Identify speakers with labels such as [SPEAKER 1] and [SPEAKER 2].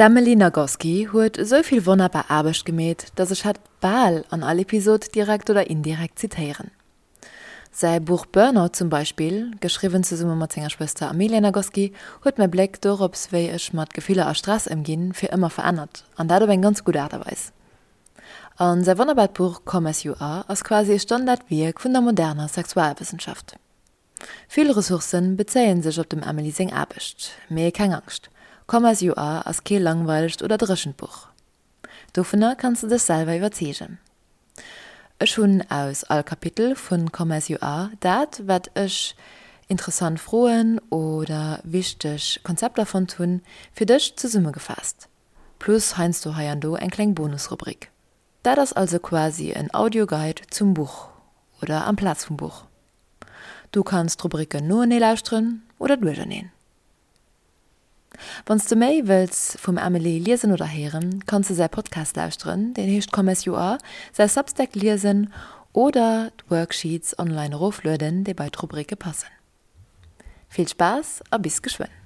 [SPEAKER 1] D'Emily Nagoski huet esou vill wonnerbar Aarbecht gemeet, dass ech hatt bal an all Episod direkt oder indirekt zitéieren. Säi Buch Burnout zum Beispill, geschriwwen zesumme mat senger Schwëster Amelia Nagoski, huet mäi Bléck dorops, wéi ech mat Gefiller a Stress ëmginn, fir ëmmer verännert, an dat op eng ganz gutt Aart a Weis. A säi wonnerbart Buch Come As You Are ass quasi e Standardwierk vun der moderner Sexualwëssenschaft. Vill Ressourcen bezéien sech op dem Emily seng Aarbecht, mee keng Angscht, Come As You Are ass kee langweilegt oder dréchent Buch. Dovunner kanns de dech selwer iwwerzeegen. Ech hunn aus all Kapitel vun Come As You Are dat, wat ech interessant Froen oder wichteg Konzepter fonnt hunn, fir dech zesummegefaasst. Plus heiansdo hei an do eng kleng Bonusrubrik. Dat ass also quasi en Audioguide zum Buch oder amplaz vum Buch. Du kanns d'Rubriken noenee lauschteren oder duercherneen. Wann s de méi wëlls vum Emily liesen oder héieren, kanns de säi Podcast lauschteren, deen heescht Come As You Are, säi Substack liesen oder d'Worksheets online eroflueden, déi bei d'Rubrike passen. Vill Spaass a bis geschwënn!